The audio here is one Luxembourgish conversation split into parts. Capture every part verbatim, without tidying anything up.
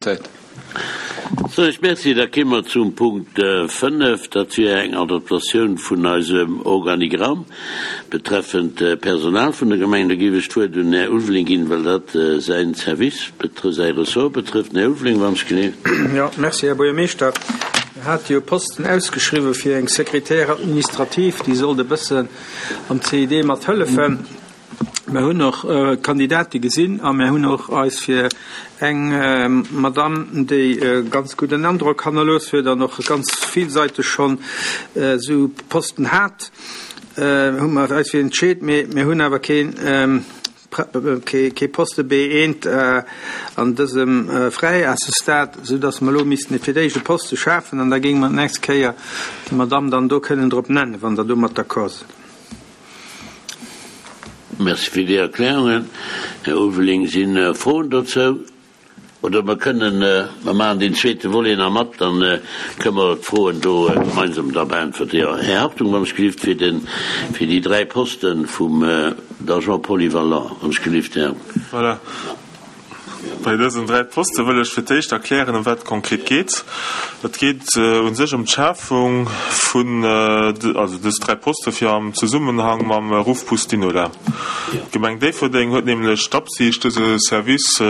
Zäit. Sou, ech merci. Da kéime mer zum Punkt fënnef. Dat wier eng Adaptatioun vun eisem Organigramm betreffend d'Personal vun der Gemeng. Da géif ech d'Wuert un den Här Ulveling ginn, well dat säin Service betrëfft, säi Ressort betrëfft. Den Här Ulveling, wann ech genee. Jo, merci, Här Buergermeeschter. Mir hate jo Posten ausgeschriwwen fir eng Secrétaire administrative, déi sollt e bëssen am C I D mat hëllefen. Mir hunn och Kandidate gesinn a mir hunn och eis fir eng Madame, déi e ganz gudden Androck hannerlooss huet an och ganz villsäiteg schonn esou Posten hat, hu mer eis fir entscheet. Mee mir hunn awer keen kee Poste B eent an dësem fräi à ce stade, soudass mer elo missten fir d'éischt e Poste schafen an da géinge mer d'nächst Kéier déi Madame dann do kënnen drop nennen, wann Der domat d'accord sidd. Merci fir déi Erklärungen, Här Ulveling. Si Froen dozou? Oder mer kënnen, mer maachen deen zweete Volet nach mat, dann kënnen mer d'Froen do gemeinsam da beäntwerte. Jo, Här Hartung, wann ech gelift, fir den, fir déi dräi Posten vum d'Agent polyvalent, wann ech gelift, Här. Voilà. Bei dësen dräi Poste wëll ech fir d'éischt erklären, ëm wat et konkret geet. Et geet u sech ëm d'Schafung vun, also dës dräi Poste fir am Zesummenhang mam Ruffbus Dinola. D'Gemeng Déifferdeng huet nämlech d'Absicht, dëse Service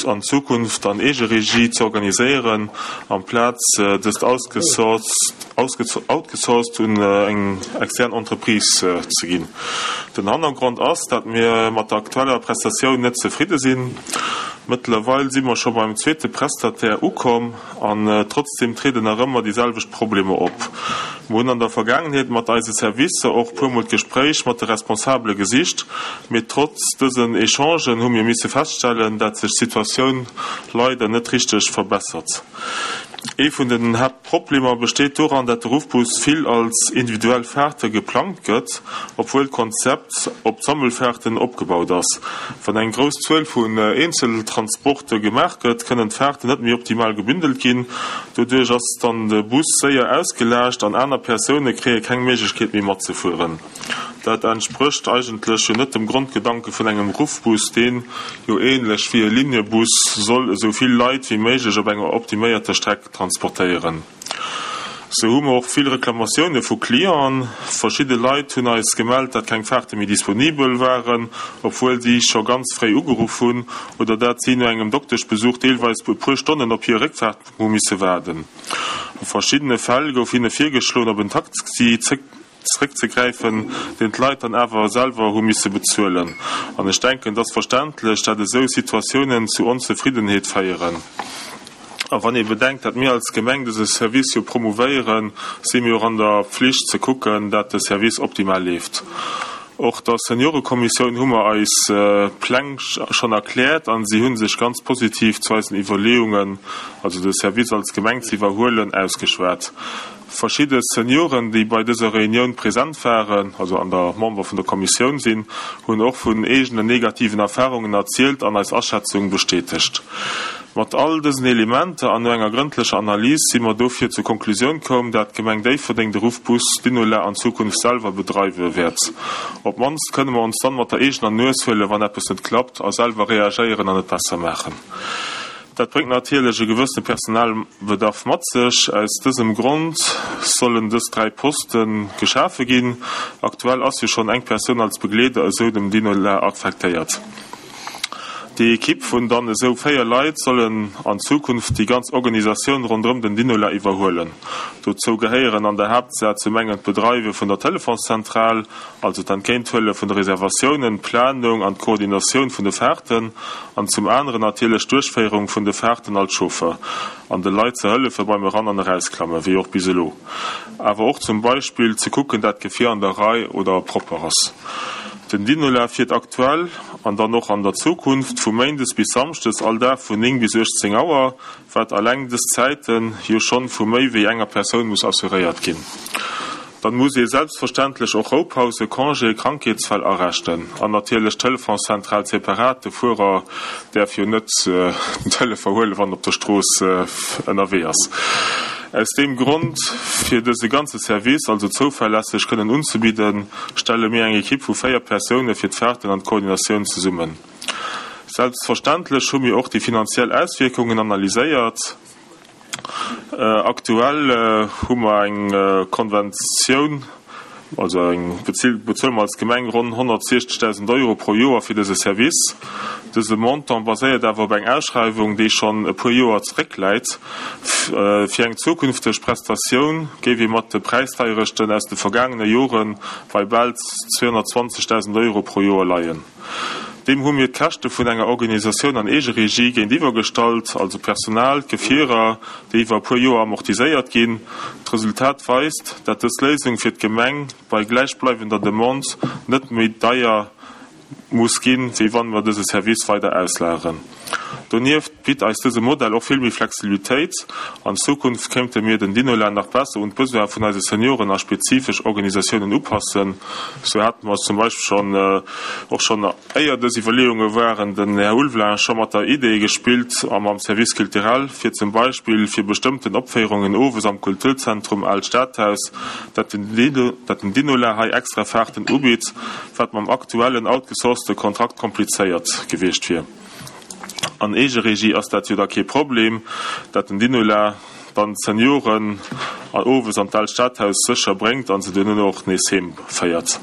an Zukunft an Eegeregie ze organiséieren, amplaz dëst outgesourced un eng extern Entreprise ze ginn. Den Hannergrond ass, dat mir mat der aktueller Prestatioun net zefridde sinn. Mëttlerweil si mer scho beim zweete Prestataire ukomm an trotzdeem trieden nach ëmmer déi selwecht Problemer op. Mer hunn an der Vergaangenheet mat eise Servicer och puermol d'Gespréich mat de Responsabele gesicht, mee trotz dësen Echangen hu mir misse feststellen, dat sech d'Situatioun leider net richteg verbessert. Ee vun den Haaptproblemer besteet doran, dat de Ruffbus vill als individuell Fahrte geplangt gëtt, obwuel d'Konzept op Sammelfahrten opgebaut ass. Wann eng grouss Zuel vun Eenzeltransporte gemaach gëtt, kënnen d'Fahrten net méi optimal gebündelt ginn. Doduerch ass dann de Bus séier ausgelaascht an aner Persoune kréie keng Méiglechkeet méi matzefueren. Dat entsprécht eigentlech jo net dem Grondgedanke vun engem Ruffbus, deen jo ähnlech wéi e Liniebus soll esou vill Leit wéi méiglech op enger optiméierter Streck transportéieren. Sou hu mer och vill Reklamatioune vu Clienten. Verschidde Leit hunn eis gemellt, dat keng Fahrte méi disponibel waren, obwuel si scho ganz fréi ugeruff hunn, oder dat si no engem Dokteschbesuch deelweis e puer Stonnen op hir Réckfaart hu misse waarden. A verschiddene Fäll gouf hinne virgeschloen, op en Taxi zeréckzegräifen, deen d'Leit dann awer selwer hu misse bezuelen. An ech denken, et ass verständlech, dat esou Situatiounen zu Onzefriddenheet féieren. A wann ee bedenkt, dat mir als Gemeng dëse Service jo promouvéieren, si mir och an der Pflicht ze kucken, dat de Service optimal leeft. Och der Seniorekommissioun hu mer eis Pläng schonn erkläert an si hu sech ganz positiv zu eisen Iwwerleeungen, also de Service als Gemeng ze iwwerhuelen, ausgeschwat. Verschidde Senioren, déi bei dëser Reunioun present waren, also an der Member vun der Kommissioun sinn, hunn och vun eegenen negativen Erfarungen erzielt an eis Aschätzung bestätegt. Mat all dësen Elementer an no enger grëndlecher Analys si mer dofir zur Konklusioun koum, dat d'Gemeng Déifferdeng de Ruffbus Dinola an Zukunft selwer bedreiwe wäert. Op d'mannst kënne mer ons dann mat der eegener Nues huelen, wann eppes net klappt, a selwer reagéieren an et besser maachen. Dat bréngt natierlech e gewëssene Personalbedarf mat sech. Aus dësem Grond sollen dës dräi Poste geschafe ginn. Aktuell ass jo schonn eng Persoun als Begleeder esou dem Dinola affektéiert. Déi Ekipp vun dann esou véier Leit sollen an Zukunft déi ganz Organisatioun ronderëm den Dinola iwwerhuelen. Dozou gehéieren an der Haaptsaach zum engen d'Bedreiwe vun der Telefonszentral, also d'Entgéinthuele vun de Reservatiounen, d'Planung an d'Koordinatioun vun de Fahrten, an zum aneren natierlech d'Duerchféierung vun de Fahrten als Chauffer an de Leit ze hëllefe beim Eran an Erausklamme wéi och bis elo. Awer och zum Beispill ze kucken, dat d'Gefier an der Rei oder propper ass. Den Dinola fiert aktuell an dann och an der Zukunft vu méindes bis samschdes all Dag vun néng bis uechtzéng Auer, wat alleng dës Zäite jo schonn vu méi wéi enger Persoun muss assuréiert ginn. Dann muss ee selbstverständlech och Roupause, Congé, Krankheetsfäll arechten an natierlech d'Telefonszentral separat, de Fuerer däerf jo net den Telefon huelen, wann en op der Strooss ënnerwee ass. Aus deem Grond, fir dëse ganze Service also zouverlässeg kënnen unzebidden, stelle mir eng Ekipp vu véier Persoune fir d'Fahrten an d'Koordinatioun zesummen. Selbstverständlech hu mir och déi finanziell Auswierkungen analyséiert. Aktuell hu mer eng Konventioun, also eng bezuele mer als Gemeng ronn honnertsiechzegdausend Euro pro Joer fir dëse Service. Dëse Montant baséiert awer op eng Ausschreiwung, déi schonn e puer Joer zeréckläit. Fir eng zukünfteg Prestatioun géif ee mat de Präisdeierechten aus de vergaangene Jore bei bal zweehonnertzwanzegdausend Euro pro Joer leien. Deem hu mir d'Käschte vun enger Organisatioun an Eegeregie géintiwwer gestallt, also Personal, Gefierer, déi iwwer e puer Joer amortiséiert ginn. D'Resultat weist, dat dës Léisung fir d'Gemeng bei gläichbleiwender Demande net méi deier muss ginn, wéi wann mer dëse Service weider auslageren. Donieft bitt eis dëse Modell och vill méi Flexibilitéit. An Zukunft kéinte mir den Dinola nach besser un d'Besoine vun eise Senioren a spezifesch Organisatiounen upassen. Sou hate mer zum Beispill schonn, och schonn éier dës Iwwerleeunge waren, den Här Ulveling scho mat der Idee gespillt a mam Service culturel, fir zum Beispill fir bestëmmten Opféierungen owes am Kulturzentrum Aalt Stadhaus, dat den Dinola hei extra Fahrten ubitt, wat mam aktuellen outgesourcete Kontrakt komplizéiert gewiescht wier. An Eegeregie ass dat jo da kee Problem, dat den Dinola dann d'Senioren owes an d'Aalt Stadhaus sécher bréngt a se duerno och nees heem féiert.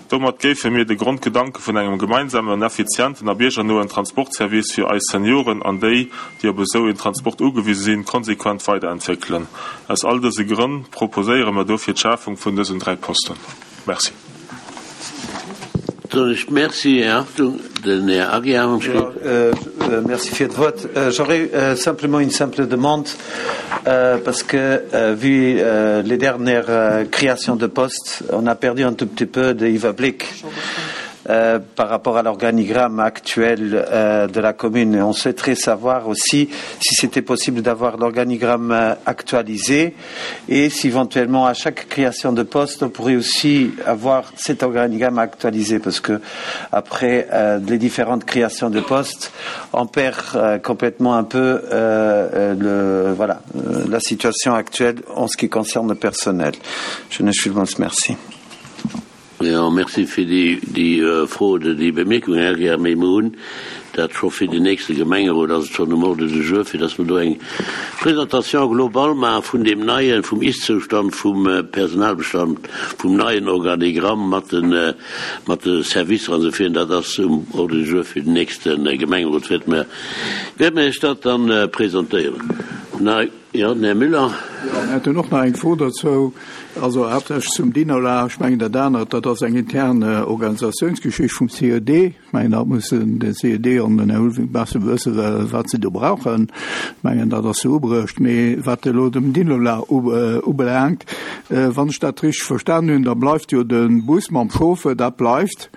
Domat géife mir de Grondgedanke vun engem gemeinsamen, effizienten a biergernoen Transportservice fir eis Senioren an déi, déi op esou een Transport ugewise sinn, konsequent weiderentwéckelen. Aus all dëse Grënn proposéiere mer dofir d'Schafung vun dësen dräi Posten. Merci. Soen ech Merci, Här Hartung. Den Här Aguiar am Schluss. Merci fir d'Wuert. J'aurais simplement une simple demande, parce que vu les dernières créations de postes, on a perdu un tout petit peu de Iwwerbléck par rapport à l'organigramme actuel de la commune. On souhaiterait savoir aussi si c'était possible d'avoir l'organigramme actualisé et si éventuellement à chaque création de poste, on pourrait aussi avoir cet organigramme actualisé, parce que après les différentes créations de postes, on perd complètement un peu le, voilà, la situation actuelle en ce qui concerne le personnel. Je ne suis merci. Jo, merci fir déi, déi Fro oder déi Bemierkung, Här Aguiar. Mee mer hunn dat scho fir den nächste Gemengerot, ass et schonn um Ordre du jour, fir dass mer do eng Présentation globale maache vun deem neien, vum Ist-Zoustand vum Personalbestand, vum neien Organigramm mat de, mat de Servicer an esou virun. Dat ass um Ordre du jour fir den nächste Gemengerot, wäerte mer, wäerte mer Iech dat dann presentéieren. Jo, den Här Müller. Jo, mir hätten och nach eng Fro dozou, also haaptsächlech zum Dinola. Ech mengen, dat anert, dat ass eng intern Organisatiounsgeschicht vum C E D. Ech mengen, dat mussen de C E D an den Här Ulveling besser wëssen, wat se do brauchen. Ech mengen, dat ass sou ubruecht. Mee wat elo dem Dinola ubelaangt, wann ech dat richteg verstanen hunn, da bleift jo de Bus mam Chauffeur, dat bleift.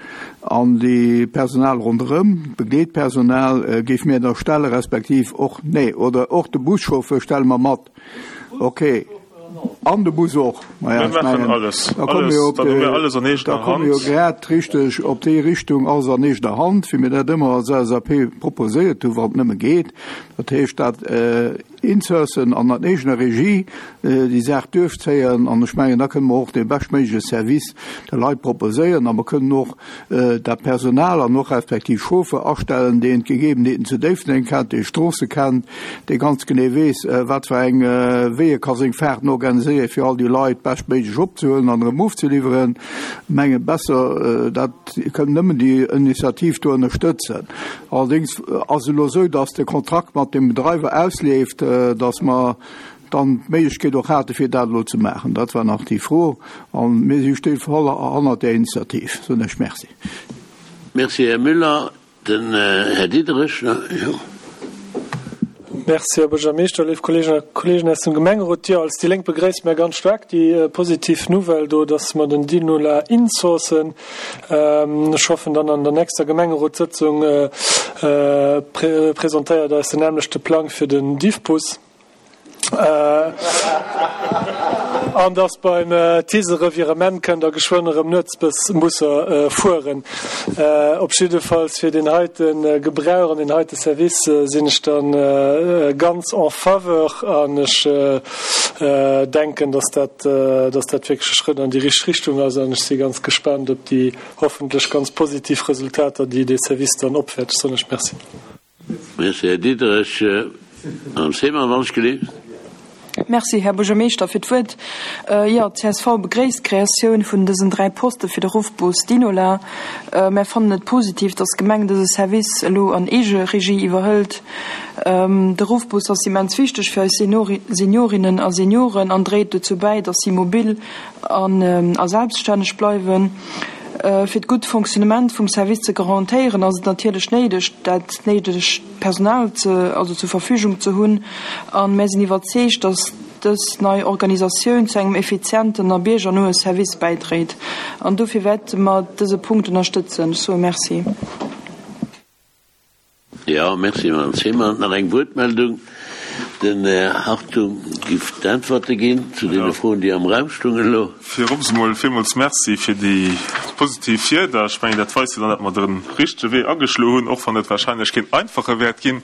An déi Personal ronderëm, d'Begleetpersonal, géif mir da stelle respektiv och, nee, oder och de Buschauffeur stelle mer mat. Okay. An de Bus och. Maja, ech mengen, da komme mir jo op de, da komme mir jo grad richteg op déi Richtung, alles an eegener Hand, wéi mir dat ëmmer als L S A P proposéiert hunn, wann et nëmme geet. Dat heescht, dat insourcen an an eegener Regie déi Saach duerchzéien. An ech mengen, da kënne mer och dee beschtméigleche Service de Leit proposéieren a mer kënnen och dat Personal an och respektiv Chauffeur astellen, deen d'Gegebenheeten zu Déifferdeng kennt, dee Stroosse kennt, dee ganz genee weess, wat fir eng wéi e ka seng Fahrten organiséieren, fir all déi Leit beschtméiglech opzehuelen an erëm ofzeliwweren. Mengen, besser dat kënnt nëmmen déi Initiativ do ënnerstëtzen. Allerdéngs ass et elo esou, dass de Kontrakt mat dem Bedreiwer ausleeft, dass mer dann d'Méiglechkeet och hate fir dat elo ze maachen. Dat war nach déi Fro an mir si sti voll hannert där Initiativ. Soen ech Merci. Merci, Här Müller. Den Här Diderich, jo. Merci, Här Buergermeeschter, léif Kolleeginnen a Kolleegen aus dem Gemengerot. Jo, als déi Lénk begréisse mir ganz staark déi positiv Nouvelle do, dass mer den Dinola insourcen. Ech hoffen dann an der nächster Gemengerotssëtzung presentéiert eis den nämlechte Plang fir den Diffbus. An dass beim TICE Revirement kënnt Der geschwënn erëm Nuetsbusser fueren. Op jiddefalls fir deen heite Gebrauch an deen heite Service sinn ech da ganz en faveur an ech denken, dass dat, dass dat wierklech e Schrëtt an déi richteg Richtung ass an ech si ganz gespaant op déi hoffentlech ganz positiv Resultater, déi dee Service dann opwäert. Ech soen lech Merci. Merci, Här Diderich. Madame Seemann, wann ech gelift. Merci, Här Buergermeeschter, fir d'Wuert. Jo, d'CSV begréisst d'Kreatioun vun dësen dräi Poste fir de Ruffbus Dinola. Mär fannen et positiv, dass d'Gemeng dëse Service elo an Eegeregie iwwerhëlt. De Ruffbus ass immens wichteg fir eis Seniorinnen a Senioren an dréit dozou bäi, dass si mobil a selbststänneg bleiwen. Fir d'gutt Fonctionnement vum Service ze garantéieren, ass et natierlech néideg, dat néidegt Personal also zur Verfügung ze hunn. A mär sinn iwwerzeegt, dass dës nei Organisatioun zu engem effizienten a biergernoe Service bäidréit. An dofir wäerte mer dëse Punkt ënnerstëtzen. Ech soe Merci. Jo, merci, Madame Zeman. Nach eng Wuertmeldung? Den Här Hartung giff d'Äntwerte ginn zu deene Froen, déi am Raum stungen elo. Virops emol villmools Merci fir déi positiv Wierder. Ech mengen, dat weist jo dann, datt mer de richtege Wee ageschloe hunn, och wann et wahrscheinlech keen einfache wäert ginn.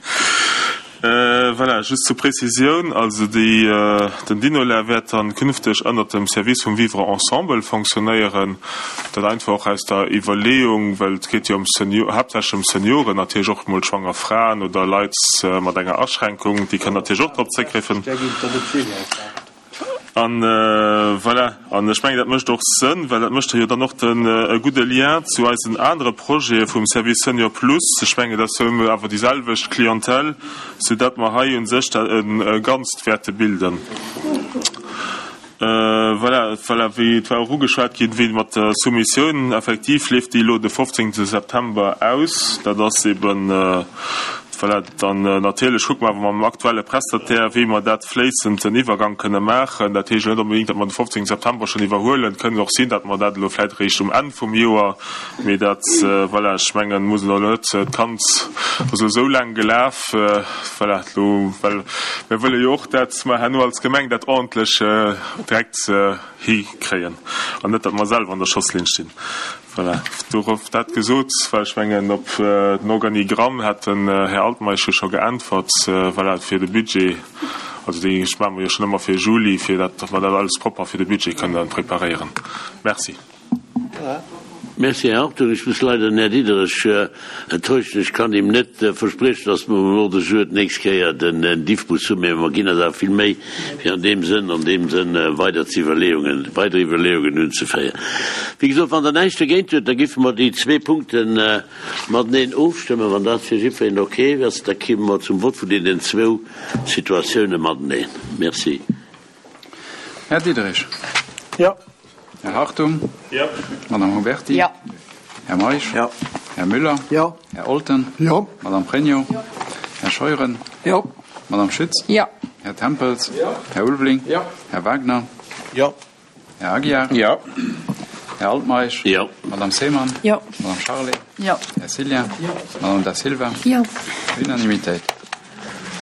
Voilà, just zur Prezisioun, also déi, den Dinola wäert dann künfteg ënnert dem Service vum Vivre ensemble fonctionnéieren. Dat einfach och aus der Iwwerleeung, well et geet jo ëm Senior, haaptsächlech ëm Senioren, natierlech och emol schwanger Fraen oder Leit mat enger Aschränkung, déi kënnen natierlech och drop zréckgräifen. An voilà, an ech mengen, dat mécht och Sënn, well dat mécht jo dann och den e gudde Lien zu eisen anere Projete vum Service Senior Plus. Ech mengen, dat ass jo awer déi selwecht Clientèle, soudatt mer hei u sech dat e Ganzt wäerte bilden. Voilà, voilà, wéi et war och ugeschwat ginn, wéi mat der Soumissioun, effektiv leeft déi elo de fofzéngte September aus. Dat ass eben, voilà, dann natierlech kucke mer awer mam aktuelle Prestataire, wéi mer dat fléissend den Iwwergang kënne maachen. Dat heescht elo net onbedéngt, datt mer de fofzéngte September schonn iwwerhuelen. Et kënnt och sinn, datt mer dat elo vläicht eréischt um Enn vum Joer, mee dat, voilà, ech mengen, muss elo net, d'Kand ass elo esou laang gelaf, voilà, elo, well mir wëlle jo och, dat mer herno als Gemeng dat ordentlech direkt hikréien an net, datt mer selwer an der Schosslinn stinn. Voilà, dorop dat gesot, well ech mengen, op den Organigramm hat den Här Altmeisch jo scho geäntwert, voilà, fir de Budget, also dee maache mer jo schonn ëmmer fir Juli, fir dat, datt mer dat alles propper fir de Budget kënnen preparéieren. Merci. Merci, Här Hartung. Ech muss leider den Här Diderich enttäuschen. Ech kann him net verspriechen, dass mer um Ordre du jour d'nächst Kéier den Diffbus hunn, mä mer ginn eis awer vill Méi, fir an deem Sënn, an deem Sënn weider ze Iwwerleeungen, weider Iwwerleeungen unzeféieren. Wéi gesot, wann Der näischt dogéint hutt, da giffe mer déi zwee Punkte mateneen ofstëmmen. Wann dat fir jiddwereen okay ass, da kimme mer zum Vott vun deenen zwou Situatiounen mateneen. Merci. Här Diderich. Jo. Här Hartung. Jo. Madame Huberti. Jo. Här Meisch. Jo. Här Müller. Jo. Här Olten. Jo. Madame Pregno. Jo. Här Scheuren. Jo. Madame Schütz. Jo. Här Tempels. Jo. Här Ulveling. Jo. Här Wagner. Jo. Här Aguiar. Jo. Här Altmeisch. Jo. Madame Seemann. Jo. Madame Charlé. Jo. Här Cillien. Jo. Madame Da Silva. Jo. Unanimitéit.